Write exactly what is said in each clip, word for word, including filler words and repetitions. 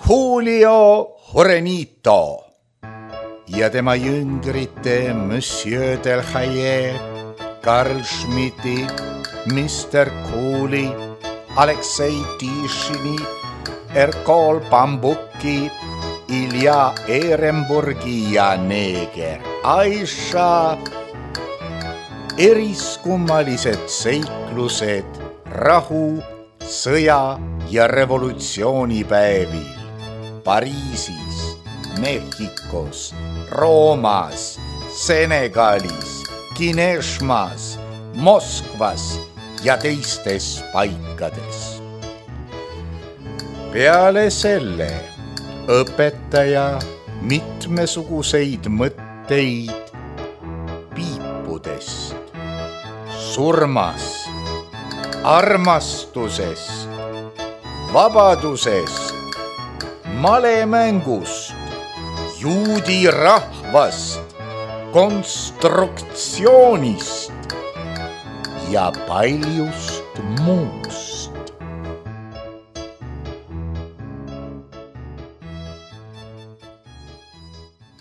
Julio Jurenito ja tema jüngrite Monsieur Delhaye, Karl Schmidti, mister Kooli, Aleksei Tishini, Erkol Bambuki, Ilja Ehrenburgi ja neeger Aisha. Eriskummalised seiklused rahu, sõja ja revolutsioonipäevil Pariisis, Mehhikos, Roomas, Senegalis, Kineshmas, Moskvas ja teistes paikades. Peale selle õpetaja mitmesuguseid mõtteid piipudest, surmast, armastusest, vabadusest, malemängust, juudi rahvast, konstruktsioonist ja paljust muust.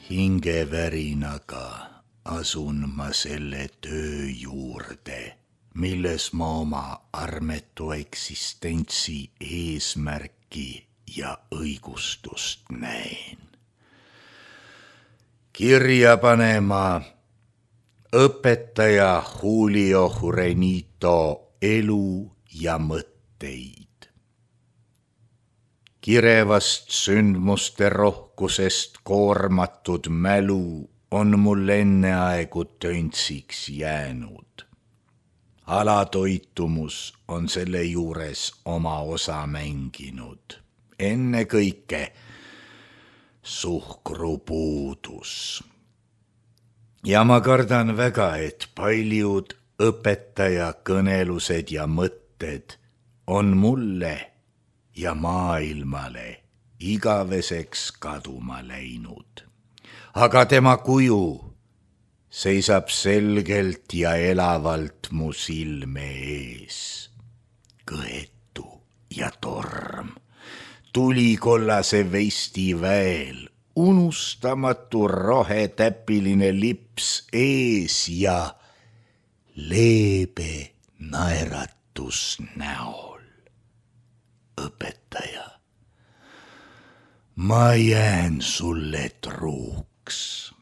Hingevärinaga asun ma selle töö juurde, milles ma oma armetu eksistentsi eesmärki ja õigustust näen. Kirja panema õpetaja Julio Jurenito elu ja mõtteid. Kirevast sündmuste rohkusest koormatud mälu on mul enneaegu töntsiks jäänud. Alatoitumus on selle juures oma osa mänginud. Ennekõike suhkrupuudus. Ja ma kardan väga, et paljud õpetaja kõnelused ja mõtted on mulle ja maailmale igaveseks kaduma läinud. Aga tema kuju seisab selgelt ja elavalt mu silme ees. Kõetu ja torm, tulikollase vesti väel, unustamatu rohetäpiline lips ees ja leebe naeratus näol. Õpetaja, ma jään sulle truuks.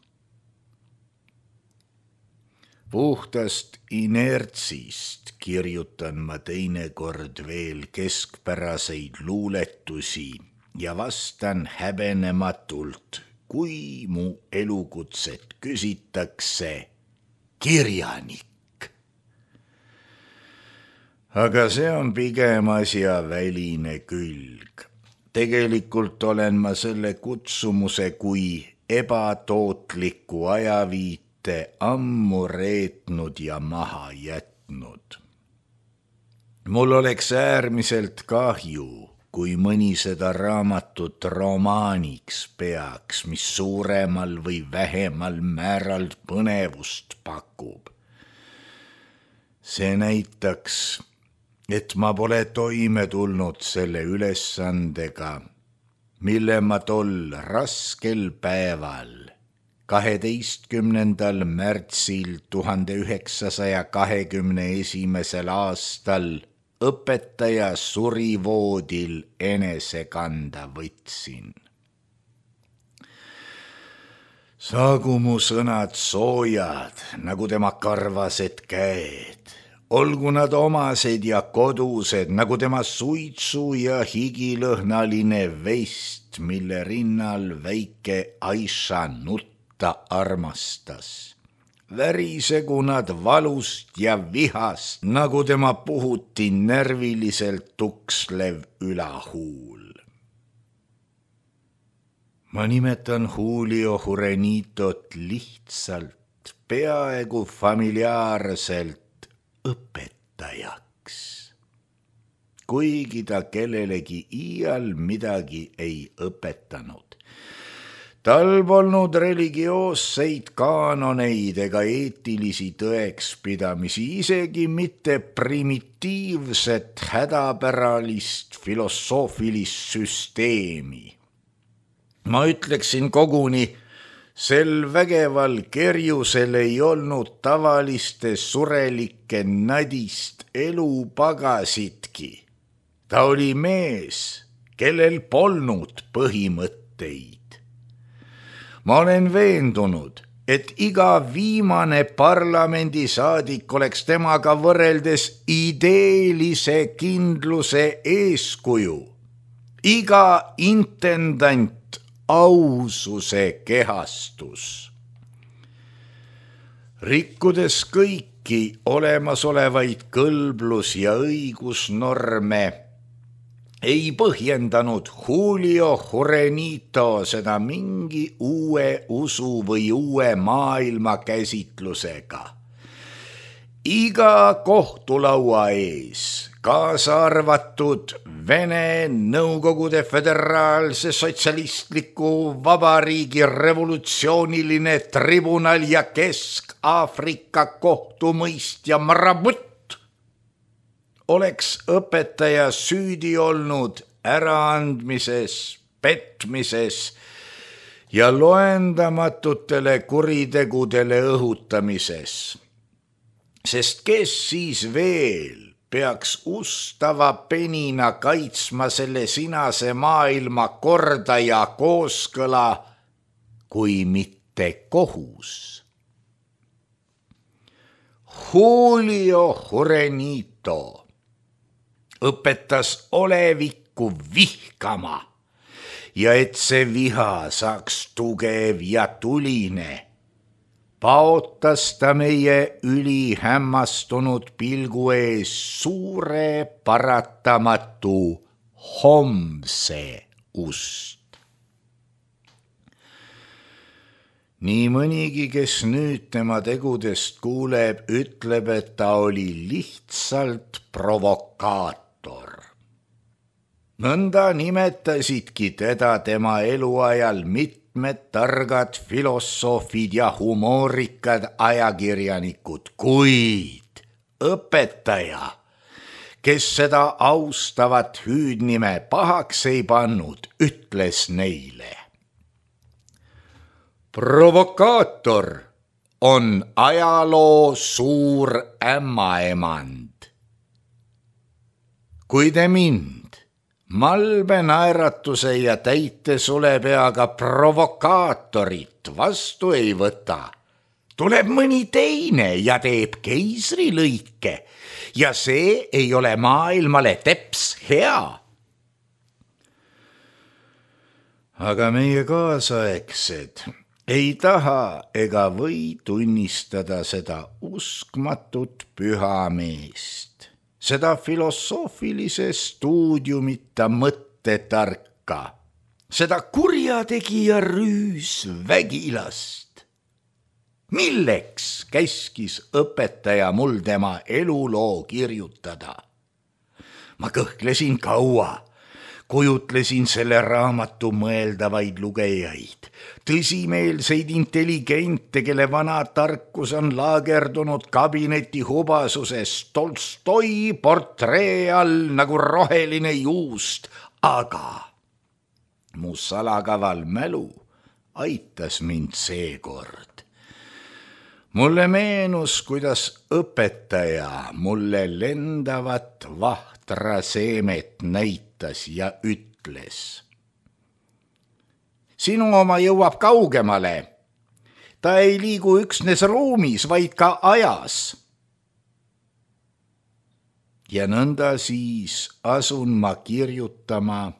Puhtast inertsist kirjutan ma teinekord veel keskpäraseid luuletusi ja vastan häbenematult, kui mu elukutset küsitakse kirjanik. Aga see on pigem asja väline külg. Tegelikult olen ma selle kutsumuse kui ebatootliku ajaviite ammu reetnud ja maha jätnud. Mul oleks äärmiselt kahju, kui mõni seda raamatut romaaniks peaks, mis suuremal või vähemal määral põnevust pakub. See näitaks, et ma pole toime tulnud selle ülesandega, mille ma tol raskel päeval, kaheteistkümnendal märtsil tuhande üheksasaja kahekümne esimesel aastal õpetaja surivoodil enese kanda võtsin. Saagu mu sõnad soojad, nagu tema karvased käed. Olgu nad omased ja kodused, nagu tema suitsu ja higilõhnaline vest, mille rinnal väike Aisha nutta armastas. Värisegu nad valust ja vihast, nagu tema puhuti närviliselt tukslev ülahuul. Ma nimetan Julio Jurenitot lihtsalt, peaaegu familiaarselt õpetajaks, kuigi ta kellelegi iial midagi ei õpetanud. Tal polnud religioosseid kaanoneid ega eetilisi tõekspidamisi, isegi mitte primitiivset hädapäralist filosoofilist süsteemi. Ma ütleksin koguni, sel vägeval kerjusel ei olnud tavaliste surelike nadist elupagasitki. Ta oli mees, kellel polnud põhimõtteid. Ma olen veendunud, et iga viimane parlamendisaadik oleks temaga võrreldes ideelise kindluse eeskuju. Iga intendant aususe kehastus. Rikkudes kõiki olemasolevaid kõlblus- ja õigusnorme, ei põhjendanud Julio Jurenito seda mingi uue usu või uue maailmakäsitlusega. Iga kohtulaua ees, kaasa arvatud Vene Nõukogude Föderaalse Sotsialistliku Vabariigi revolutsiooniline tribunal ja Kesk-Aafrika kohtumõistja Marabut oleks õpetaja süüdi olnud äraandmises, petmises ja loendamatutele kuritegudele õhutamises. Sest kes siis veel peaks ustava penina kaitsma selle sinase maailma korda ja kooskõla, kui mitte kohus. Julio Jurenito õpetas olevikku vihkama ja et see viha saaks tugev ja tuline, paotas ta meie ülihämmastunud pilgu ees suure paratamatu homse ust. Nii mõnigi, kes nüüd tema tegudest kuuleb, ütleb, et ta oli lihtsalt provokaator. Nõnda nimetasidki teda tema eluajal mitte Med targad filosoofid ja humoorikad ajakirjanikud, kuid õpetaja, kes seda austavat hüüdnime pahaks ei pannud, ütles neile. Provokaator on ajaloo suur ämmaemand. Kui te mind malbe naeratuse ja täite sulepeaga provokaatorit vastu ei võta, tuleb mõni teine ja teeb keisrilõike ja see ei ole maailmale teps hea. Aga meie kaasaegsed ei taha ega või tunnistada seda uskmatut pühameest, seda filosoofilise stuudiumita mõttetarka, seda kurjategija rüüsvägilast. Milleks käskis õpetaja mul tema eluloo kirjutada? Ma kõhklesin kaua, kujutlesin selle raamatu mõeldavaid lugejaid, tõsimeelseid intelligente, kelle vana tarkus on laagerdunud kabineti hubasuses Tolstoi portree all nagu roheline juust, aga mu salakaval mälu aitas mind seekord. Mulle meenus, kuidas õpetaja mulle lendavat vahtra seemet näitas ja ütles. Sinu oma jõuab kaugemale. Ta ei liigu üksnes ruumis, vaid ka ajas. Ja nõnda siis asun ma kirjutama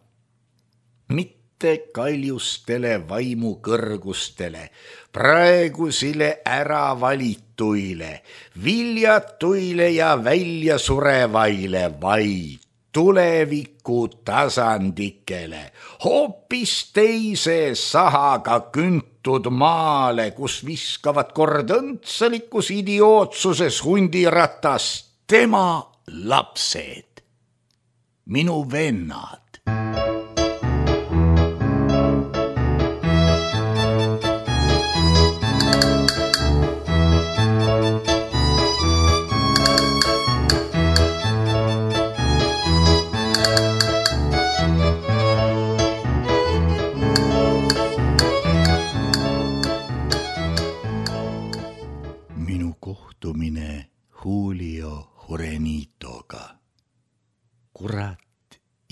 mitte kaljustele vaimukõrgustele, praegusile äravalituile, viljatuile ja väljasurevaile, vaid tuleviku tasandikele, hoopis teise sahaga küntud maale, kus viskavad kord õndsalikus idiootsuses hundiratast tema lapsed, minu vennad.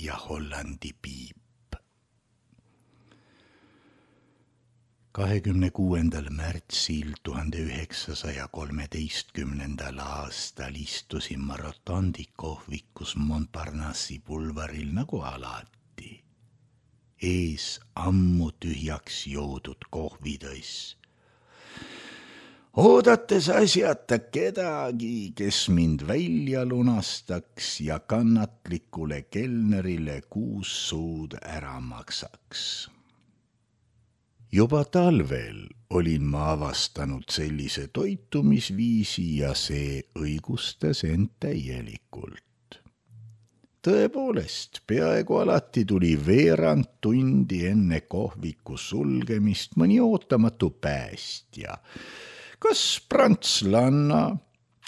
ja Hollandi piip. kahekümne kuuendal märtsil tuhande üheksasaja kolmeteistkümnendal aastal istusin ma Rotondi kohvikus Montparnassi pulvaril nagu alati. Ees ammu tühjaks joodud kohvitass. Oodates asjata kedagi, kes mind välja lunastaks ja kannatlikule kelnerile kuus suud ära maksaks. Juba talvel olin ma avastanud sellise toitumisviisi ja see õigustas end täielikult. Tõepoolest, peaaegu alati tuli veerand tundi enne kohviku sulgemist mõni ootamatu päästja. Kas prantslanna,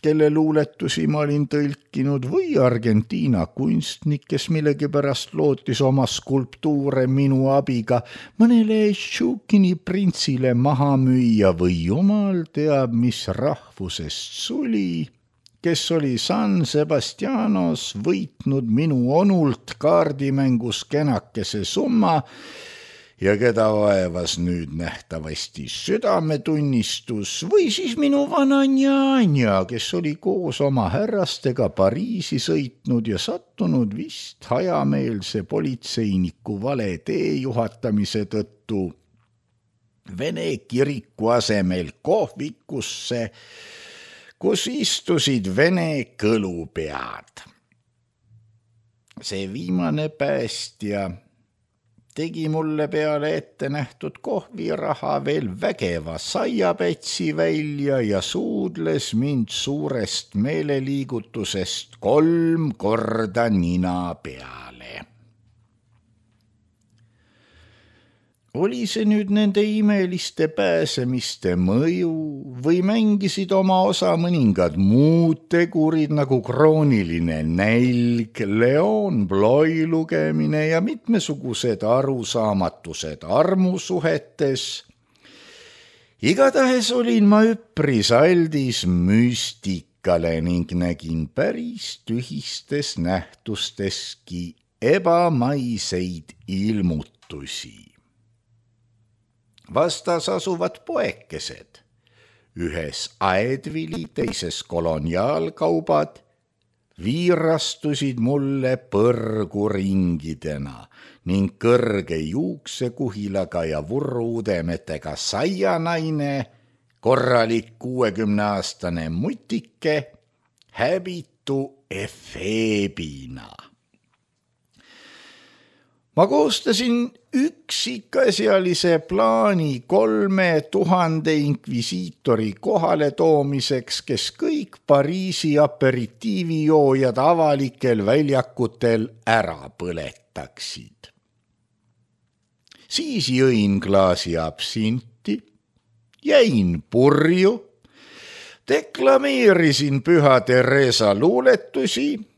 kelle luuletusi ma olin tõlkinud, või Argentiina kunstnik, kes millegipärast lootis oma skulptuure minu abiga mõnele Šukini printsile maha müüa või jumal teab, mis rahvusest suli, kes oli San Sebastianos võitnud minu onult kaardimängus kenakese summa ja keda vaevas nüüd nähtavasti südametunnistus, või siis minu vana njanja, kes oli koos oma härrastega Pariisi sõitnud ja sattunud vist hajameelse politseiniku vale tee juhatamise tõttu Vene kiriku asemel kohvikusse, kus istusid Vene kõlupead. See viimane päästja tegi mulle peale ette nähtud kohviraha veel vägeva saiapätsi välja ja suudles mind suurest meeleliigutusest kolm korda nina peale. Oli see nüüd nende imeliste pääsemiste mõju või mängisid oma osa mõningad muud tegurid nagu krooniline nälg, Leon Bloy lugemine ja mitmesugused arusaamatused armusuhetes. Igatahes olin ma üpris aldis müstikale ning nägin päris tühistes nähtusteski ebamaiseid ilmutusi. Vastas asuvad poekesed, ühes aedvili, teises koloniaalkaubad, viirastusid mulle põrguringidena ning kõrge juuksekuhilaga ja vurruudemetega saianaine, korralik kuuekümneaastane mutike, häbitu efeebina. Ma koostasin üksikasjalise plaani kolme tuhande inkvisiitori kohale toomiseks, kes kõik Pariisi aperitiivijoojad avalikel väljakutel ära põletaksid. Siis jõin klaasi absinti, jäin purju, deklameerisin Püha Teresa luuletusi,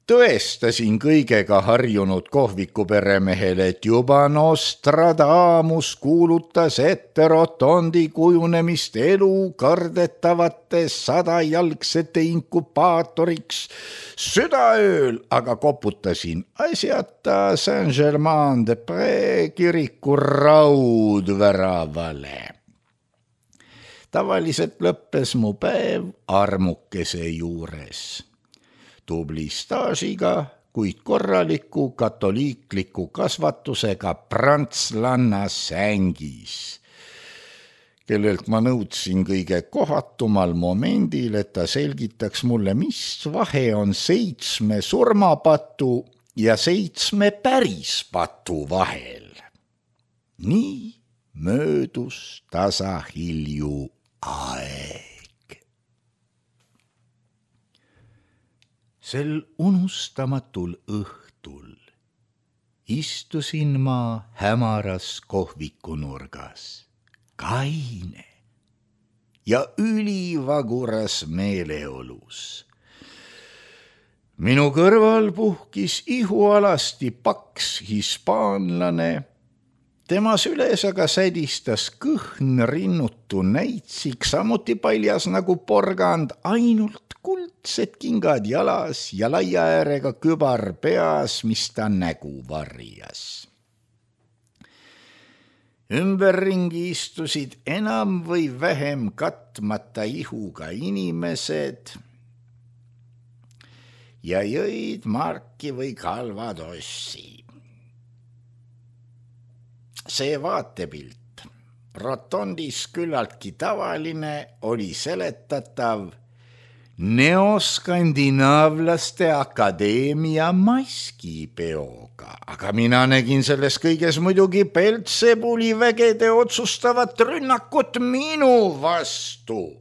tõestasin kõigega harjunud kohvikuperemehele, et juba Nostradamus kuulutas ette Rotondi kujunemist elu kardetavate sadajalgsete inkubaatoriks südaööl, aga koputasin asjata Saint-Germain-de-Prés kiriku raudväravale. Tavaliselt lõppes mu päev armukese juures. Tubli staažiga, kuid korraliku katoliikliku kasvatusega prantslanna sängis, kellelt ma nõudsin kõige kohatumal momendil, et ta selgitaks mulle, mis vahe on seitsme surmapatu ja seitsme pärispatu vahel. Nii möödus tasahilju aeg. Sel unustamatul õhtul istusin ma hämaras kohvikunurgas, kaine ja ülivaguras meeleolus. Minu kõrval puhkis ihualasti paks hispaanlane, Tema süles aga sädistas kõhn rinnutu näitsik, samuti paljas nagu porgand, ainult kuldsed kingad jalas ja laia äärega kübar peas, mis ta nägu varjas. Ümberringi istusid enam või vähem katmata ihuga inimesed ja jõid marki või kalvadossi. See vaatepilt, rotondis küllaltki tavaline, oli seletatav Neoskandinaavlaste Akadeemia maskipeoga, aga mina nägin selles kõiges muidugi Peltsepuli vägede otsustavat rünnakut minu vastu.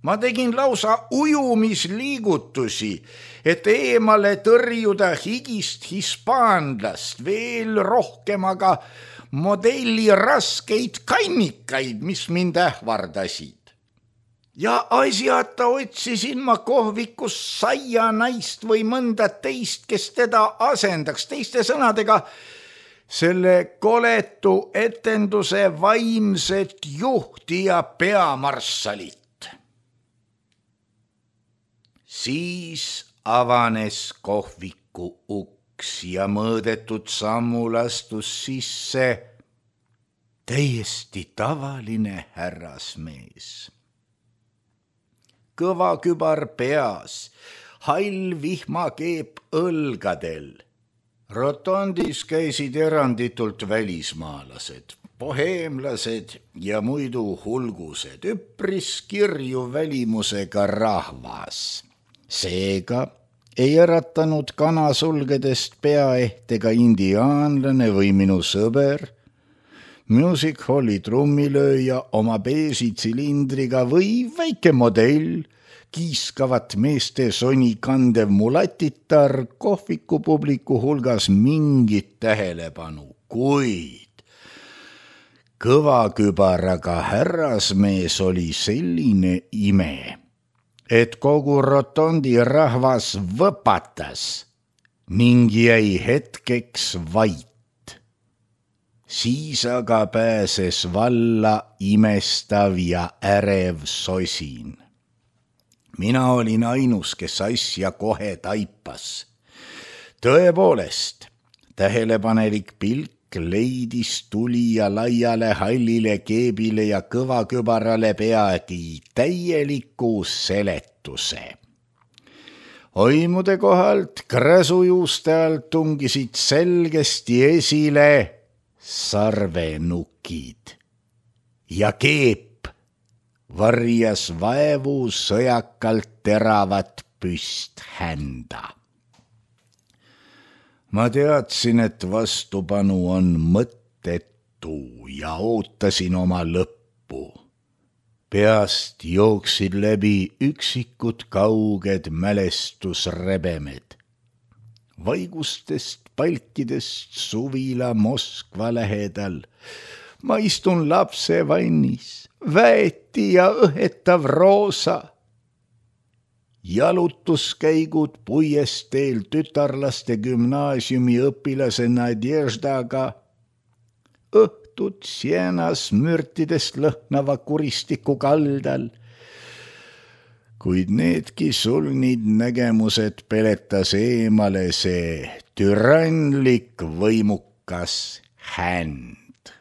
Ma tegin lausa ujumisliigutusi, et eemale tõrjuda higist hispaanlast, veel rohkem aga modelli raskeid kannikaid, mis mind ähvardasid. Ja asjata otsisin ma kohvikus saia naist või mõnda teist, kes teda asendaks, teiste sõnadega selle koletu etenduse vaimset juhti ja peamarssalit. Siis avanes kohviku uks ja mõõdetud sammul astus sisse täiesti tavaline härrasmees. Kõva kübar peas, hall vihmakeep õlgadel. Rotondis käisid eranditult välismaalased, boheemlased ja muidu hulgused, üpris kirju välimusega rahvas. Seega ei äratanud kanasulgedest peaehtega indiaanlane või minu sõber, music halli trummilööja oma beesi tsilindriga või väike modell, kiiskavat meeste soni kandev mulatitar kohvikupubliku hulgas mingit tähelepanu, kuid kõvakübaraga härrasmees oli selline ime, et kogu rotondi rahvas võpatas ning jäi hetkeks vait. Siis aga pääses valla imestav ja ärev sosin. Mina olin ainus, kes asja kohe taipas. Tõepoolest, tähelepanelik pilk leidis tulija laiale hallile keebile ja kõvakübarale peagi täieliku seletuse. Oimude kohalt kräsujuuste alt tungisid selgesti esile sarvenukid ja keep varjas vaevu sõjakalt teravat püst hända. Ma teadsin, et vastupanu on mõttetu ja ootasin oma lõppu. Peast jooksid läbi üksikud kauged mälestusrebemed. Vaigustest palkidest suvila Moskva lähedal. Ma istun lapsevannis, väeti ja õhetav roosa. Jalutuskäigud puiesteel tütarlaste gümnaasiumi õpilase Nadježdaga, õhtud Sienas mürtidest lõhnava kuristiku kaldal, kuid needki sulnid nägemused peletas eemale see türannlik võimukas händ.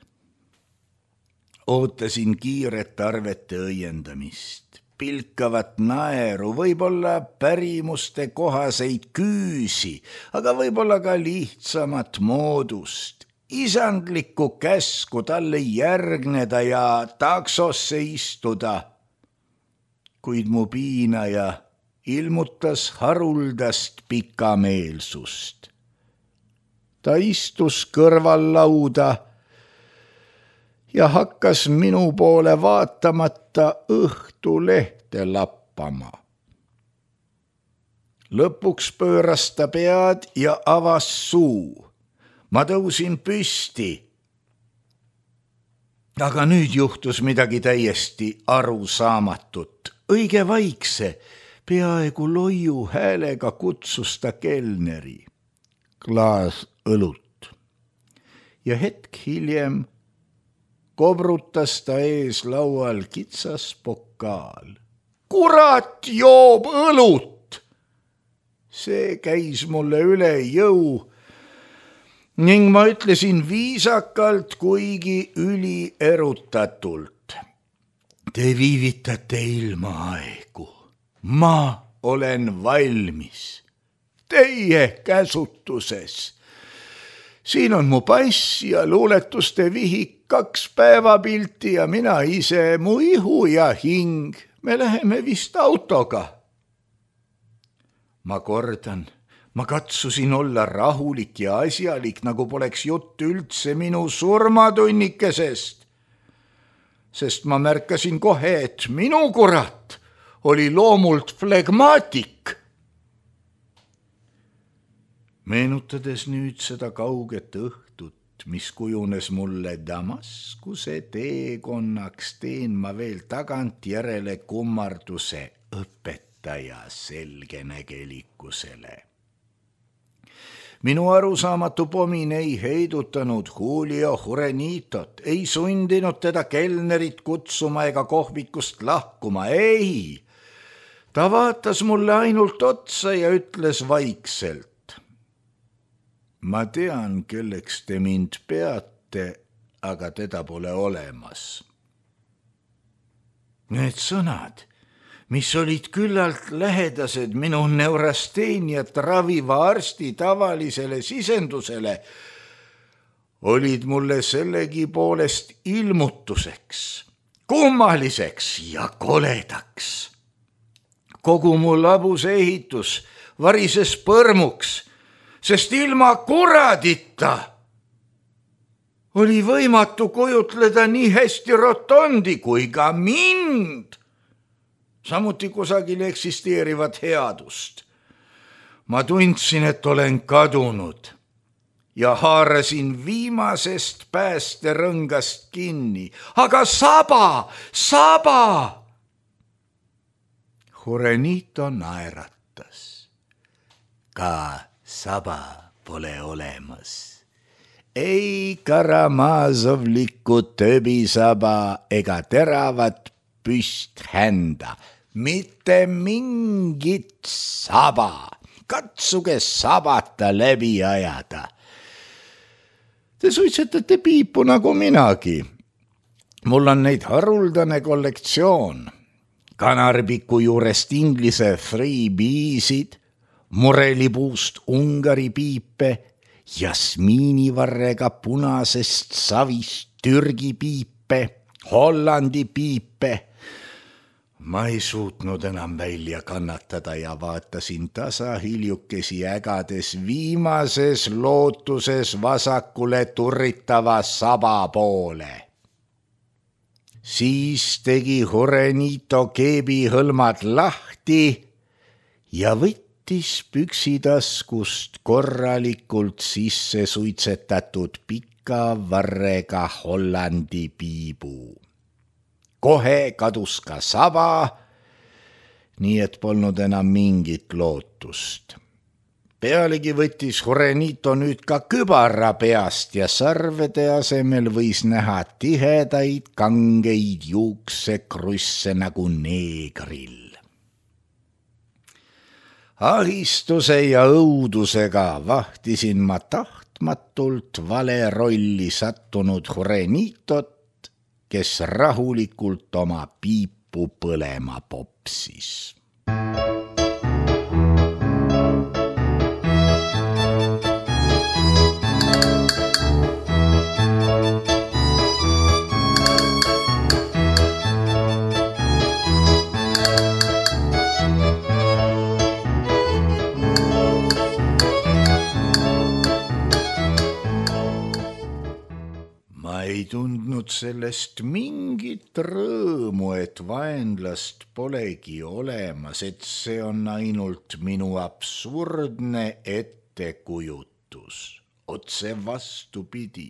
Ootasin kiiret arvete õiendamist. Pilkavat naeru, võib-olla pärimuste kohaseid küüsi, aga võib-olla ka lihtsamat moodust, isandlikku käsku talle järgneda ja taksosse istuda. Kuid mu piinaja ilmutas haruldast pikameelsust. Ta istus kõrval lauda ja hakkas minu poole vaatamata õhtulehte lappama. Lõpuks pööras ta pead ja avas suu. Ma tõusin püsti. Aga nüüd juhtus midagi täiesti arusaamatut. Õige vaikse, peaaegu loiu häälega kutsus ta kelneri. Klaas õlut. ja hetk hiljem kobrutas ta ees laual kitsas pokaal. Kurat joob õlut! See käis mulle üle jõu ning ma ütlesin viisakalt, kuigi ülierutatult. Te viivitate ilmaaegu. Ma olen valmis. Teie käsutuses. Siin on mu pass ja luuletuste vihik, kaks päevapilti ja mina ise, mu ihu ja hing. Me läheme vist autoga. Ma kordan, ma katsusin olla rahulik ja asjalik, nagu poleks jutt üldse minu surmatunnikesest. Sest ma märkasin kohe, et minu kurat oli loomult flegmaatik. Meenutades nüüd seda kauget õhtut, mis kujunes mulle Damaskuse teekonnaks, teen ma veel tagantjärele kummarduse õpetaja selgenägelikkusele. Minu arusaamatu pomin ei heidutanud Julio Jurenitot, ei sundinud teda kelnerit kutsuma ega kohvikust lahkuma, ei. Ta vaatas mulle ainult otsa ja ütles vaikselt. Ma tean, kelleks te mind peate, aga teda pole olemas. Need sõnad, mis olid küllalt lähedased minu neurasteeniat raviva arsti tavalisele sisendusele, olid mulle sellegi poolest ilmutuseks, kummaliseks ja koledaks. Kogu mu labuse ehitus varises põrmuks, sest ilma kuradita oli võimatu kujutleda nii hästi rotondi kui ka mind, samuti kusagil eksisteerivat headust. Ma tundsin, et olen kadunud ja haarasin viimasest päästerõngast kinni. Aga saba, saba! Jurenito naeratas. Ka saba pole olemas. Ei Karamazovlikku töbisaba ega teravat püsthända. Mitte mingit saba. Katsuge sabata läbi ajada. Te suitsetate piipu nagu minagi. Mul on neid haruldane kollektsioon. Kanarpiku juurest inglise freebeesid, murelipuust Ungari piipe, jasmiinivarrega punasest savist Türgi piipe, Hollandi piipe. Ma ei suutnud enam välja kannatada ja vaatasin tasa hiljukesi ägades viimases lootuses vasakule turritava saba poole. Siis tegi Jurenito keebihõlmad lahti ja võttis püksitaskust korralikult sisse suitsetatud pika varrega Hollandi piibu. Kohe kadus ka saba, nii et polnud enam mingit lootust. Pealegi võttis Jurenito nüüd ka kübara peast ja sarvede asemel võis näha tihedaid kangeid juuksekrusse nagu neegril. Ahistuse ja õudusega vahtisin ma tahtmatult vale rolli sattunud Jurenitot, kes rahulikult oma piipu põlema popsis. Ei tundnud sellest mingit rõõmu, et vaenlast polegi olemas, et see on ainult minu absurdne ettekujutus. Otse vastupidi.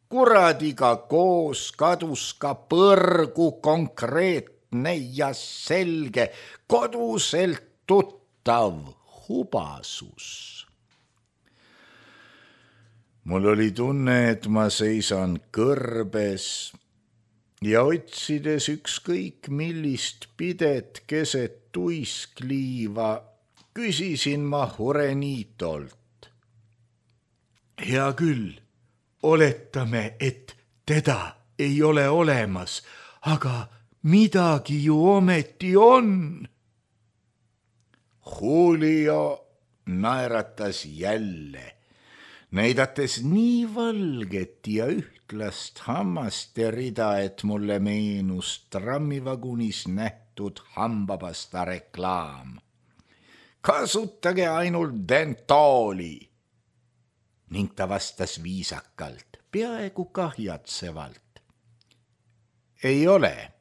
Kuradiga koos kadus ka põrgu konkreetne ja selge, koduselt tuttav hubasus. mul oli tunne, et ma seisan kõrbes ja otsides ükskõik millist pidet keset tuiskliiva, küsisin ma Jurenitolt. Hea küll, oletame, et teda ei ole olemas, aga midagi ju ometi on. Julio naeratas jälle, näidates nii valget ja ühtlast hammaste rida, et mulle meenus trammivagunis nähtud hambapasta reklaam. Kasutage ainult Dentooli. Ning ta vastas viisakalt, peaaegu kahjatsevalt. Ei ole.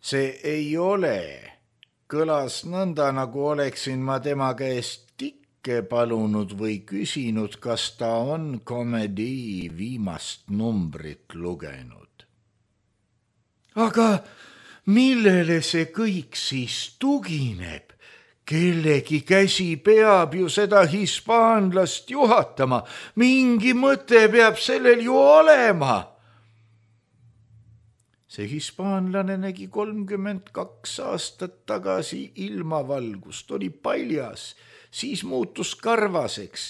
See ei ole. Kõlas nõnda, nagu oleksin ma tema käest tikke palunud või küsinud, kas ta on komedii viimast numbrit lugenud. Aga millele see kõik siis tugineb? Kellegi käsi peab ju seda hispaanlast juhatama. Mingi mõte peab sellel ju olema. See hispaanlane nägi kolmkümmend kaks aastat tagasi ilmavalgust, oli paljas, siis muutus karvaseks,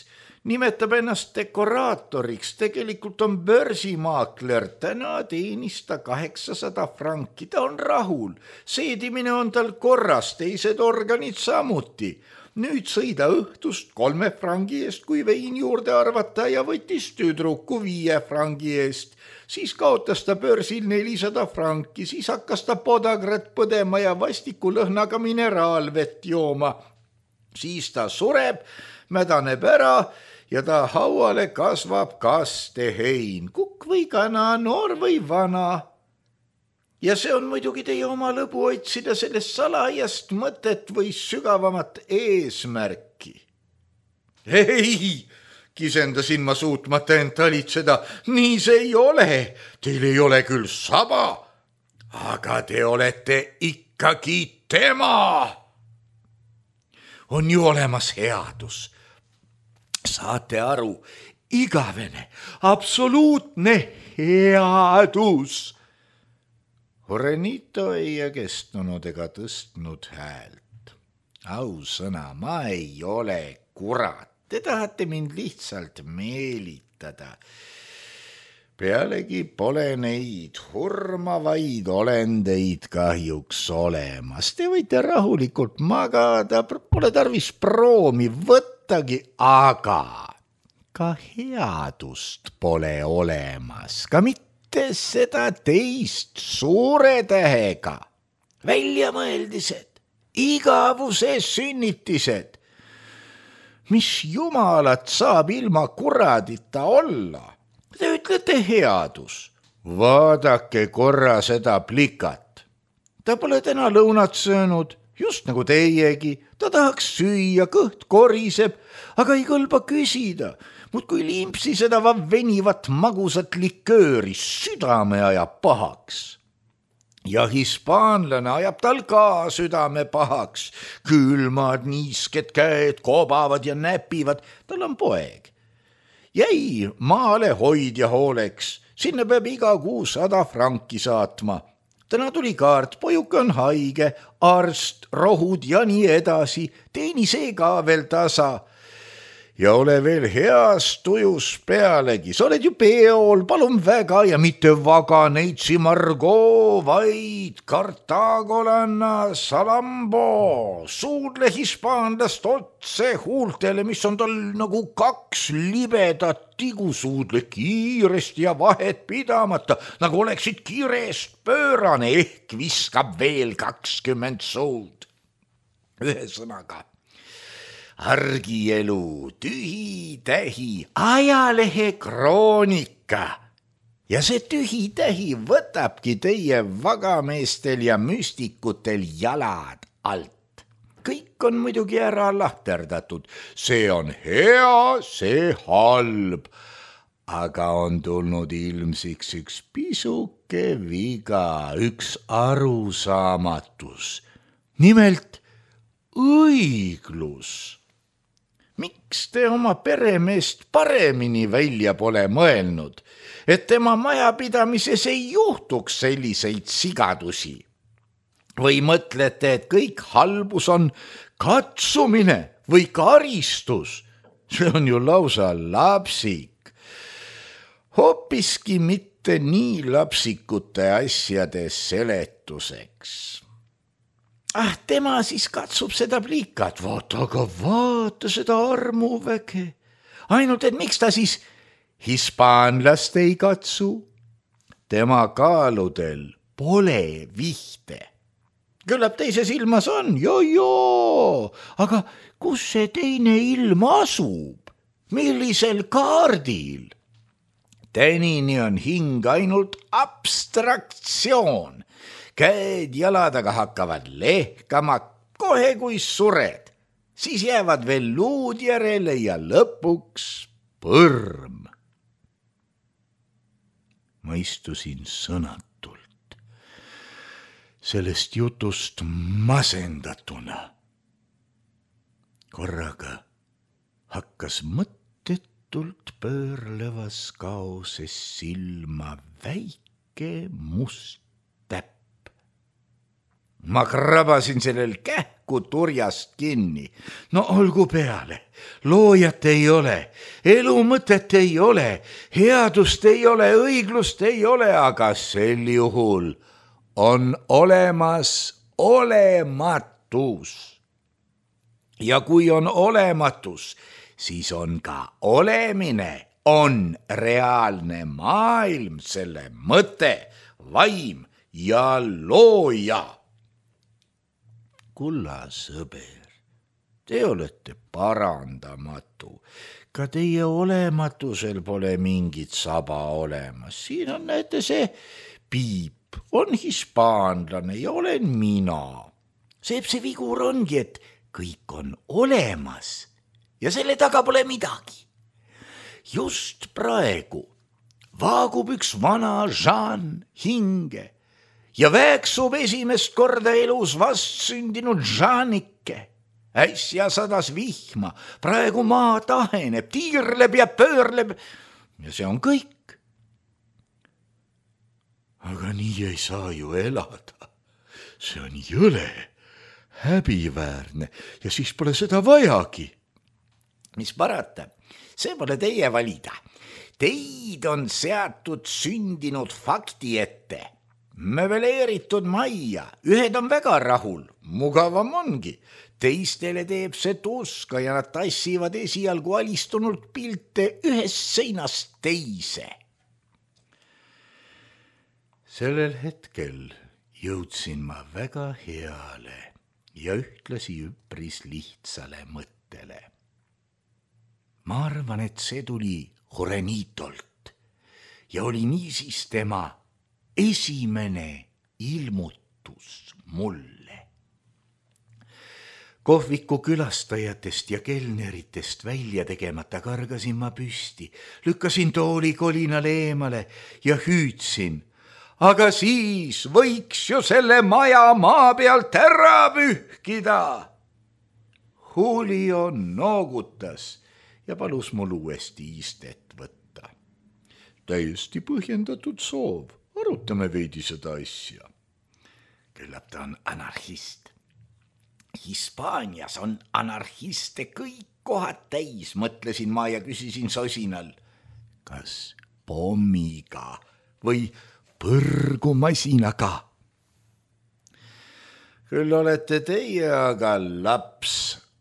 nimetab ennast dekoraatoriks, tegelikult on börsimaakler, täna teenis ta kaheksasada franki, ta on rahul, seedimine on tal korras, teised organid samuti. Nüüd sõida õhtust kolme frangi eest, kui vein juurde arvata ja võttis tüdruku viie frangi eest. Siis kaotas ta börsil nelisada franki, siis hakkas ta podagrat põdema ja vastiku lõhnaga mineraalvett jooma. Siis ta sureb, mädaneb ära ja ta hauale kasvab kastehein, kukk või kana, noor või vana. Ja see on muidugi teie oma lõbu otsida sellest salajast mõtet või sügavamat eesmärki. Ei, kisendasin ma suutmata end talitseda, nii see ei ole. Teil ei ole küll saba, aga te olete ikkagi tema. On ju olemas headus. Saate aru, igavene, absoluutne headus. Jurenito ei kestnud ega tõstnud häält. Ausõna, ma ei ole kurat, te tahate mind lihtsalt meelitada. Pealegi pole neid hurmavaid olendeid kahjuks olemas. Te võite rahulikult magada, pole tarvis proomi võttagi, aga ka headust pole olemas, ka mitte seda teist suure tähega. Väljamõeldised, igavuse sünnitised. Mis jumalat saab ilma kuradita olla? Te ütlete headus. Vaadake korra seda plikat. Ta pole täna lõunat söönud, just nagu teiegi. Ta tahaks süüa, kõht koriseb, aga ei kõlba küsida. Mut kui limpsi seda venivat magusat likööri, südame ajab pahaks. Ja hispaanlane ajab tal ka südame pahaks. Külmad, niisked käed kobavad ja näpivad. Tal on poeg. Jäi maale hoidja hooleks. Sinna peab iga kuu sada franki saatma. Täna tuli kaart, pojuke on haige, arst, rohud ja nii edasi. Teeni see ka veel tasa. Ja ole veel heas tujus pealegi, sa oled ju peol, palun väga ja mitte vaganeitsi Margo, vaid kartagolanna salambo, suudle hispaanlast otse huultele, mis on tal nagu kaks libedat tigusuudle kiiresti ja vahet pidamata, nagu oleksid kiirest pöörane, ehk viskab veel kakskümmend suud. Ühesõnaga. Argielu, tühi tähi, ajalehe kroonika. Ja see tühi tähi võtabki teie vagameestel ja müstikutel jalad alt. Kõik on muidugi ära lahterdatud. See on hea, see halb. Aga on tulnud ilmsiks üks pisuke viga, üks arusaamatus. Nimelt õiglus. miks te oma peremeest paremini välja pole mõelnud, et tema majapidamises ei juhtuks selliseid sigadusi? Või mõtlete, et kõik halbus on katsumine või karistus? See on ju lausa lapsik. Hoopiski mitte nii lapsikute asjade seletuseks. Ah, tema siis katsub seda plikat. Vaata, aga vaata seda armuväge. Ainult, et miks ta siis hispaanlast ei katsu? Tema kaaludel pole vihte. Küllap teises ilmas on, joo-joo, aga kus see teine ilm asub? Millisel kaardil? Tänini on hing ainult abstraktsioon. Käed jaladaga hakkavad lehkama kohe kui sured. Siis jäävad veel luud järele ja lõpuks põrm. Ma istusin sõnatult, sellest jutust masendatuna. Korraga hakkas mõttetult pöörlevas kaoses silma väike must täpp. Ma krabasin sellel kähku turjast kinni. No olgu peale, loojat ei ole, elu mõtet ei ole, headust ei ole, õiglust ei ole, aga sel juhul on olemas olematus. Ja kui on olematus, siis on ka olemine, on reaalne maailm, selle mõte, vaim ja looja. Kulla sõber, te olete parandamatu. Ka teie olematusel pole mingit saba olemas. Siin on, näete, see Piip on hispaanlane ja olen mina. Seeb see vigur ongi, et kõik on olemas ja selle taga pole midagi. Just praegu vaagub üks vana Jean hinge ja väeksub esimest korda elus vastsündinud Jeanike. Äsja sadas vihma, praegu maa taheneb, tiirleb ja pöörleb ja see on kõik. Aga nii ei saa ju elada. See on jõle, häbiväärne ja siis pole seda vajagi. Mis parata, see pole teie valida. Teid on seatud sündinud fakti ette. Möbeleeritud majja, ühed on väga rahul, mugavam ongi. Teistele teeb see tuska ja nad tassivad esialgu alistunult pilte ühest seinast teise. Sellel hetkel jõudsin ma väga heale ja ühtlasi üpris lihtsale mõttele. Ma arvan, et see tuli Juanitolt ja oli niisiis tema esimene ilmutus mulle. Kohviku külastajatest ja kelneritest välja tegemata kargasin ma püsti, lükkasin tooli kolinal eemale ja hüüdsin, aga siis võiks ju selle maja maa pealt ära pühkida. Julio noogutas ja palus mul uuesti istet võtta. Täiesti põhjendatud soov, arutame veidi seda asja. Küllap ta on anarhist. Hispaanias on anarhiste kõik kohad täis, mõtlesin ma ja küsisin sosinal. Kas pommiga või põrgumasinaga? Küll olete teie aga laps,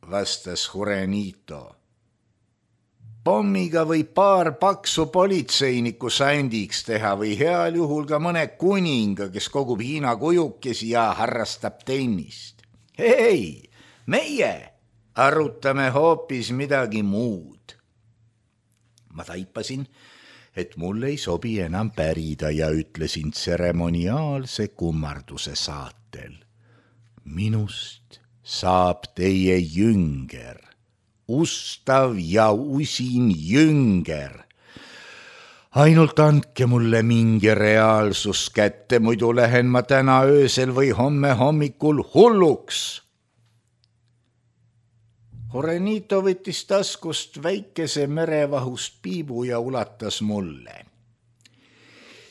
vastas Juanito. Pommiga või paar paksu politseinikku sandiks teha või heal juhul ka mõne kuninga, kes kogub Hiina kujukesi ja harrastab tennist. Hei, meie arutame hoopis midagi muud. Ma taipasin, et mul ei sobi enam pärida ja ütlesin tseremoniaalse kummarduse saatel. Minust saab teie jünger, ustav ja usin jünger. Ainult andke mulle mingi reaalsus kätte, muidu lähen ma täna öösel või homme hommikul hulluks. Jurenito võttis taskust väikese merevahust piibu ja ulatas mulle.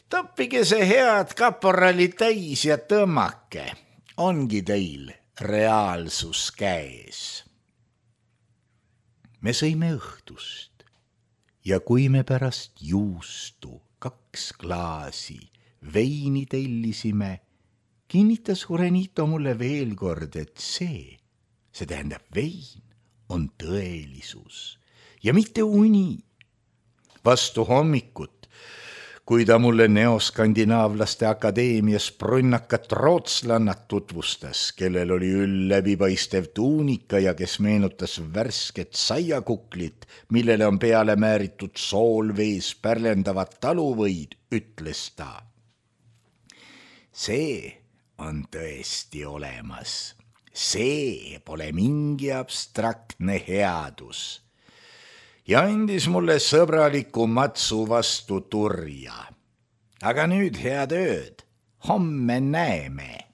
Toppige see head kaporali täis ja tõmmake. Ongi teil reaalsus käes. Me sõime õhtust ja kui me pärast juustu kaks klaasi veini tellisime, kinnitas Jurenito mulle veel kord, et see, see tähendab vein, on tõelisus ja mitte uni. Vastu hommikut, kui ta mulle Neoskandinaavlaste akadeemias brunnakat rootslannat tutvustas, kellel oli üll läbipaistev tuunika ja kes meenutas värsket saiakuklit, millele on peale määritud soolvees pärlendavad taluvõid, ütles ta. See on tõesti olemas. See pole mingi abstraktne headus. Ja andis mulle sõbraliku matsu vastu turja. Aga nüüd head ööd, homme näeme.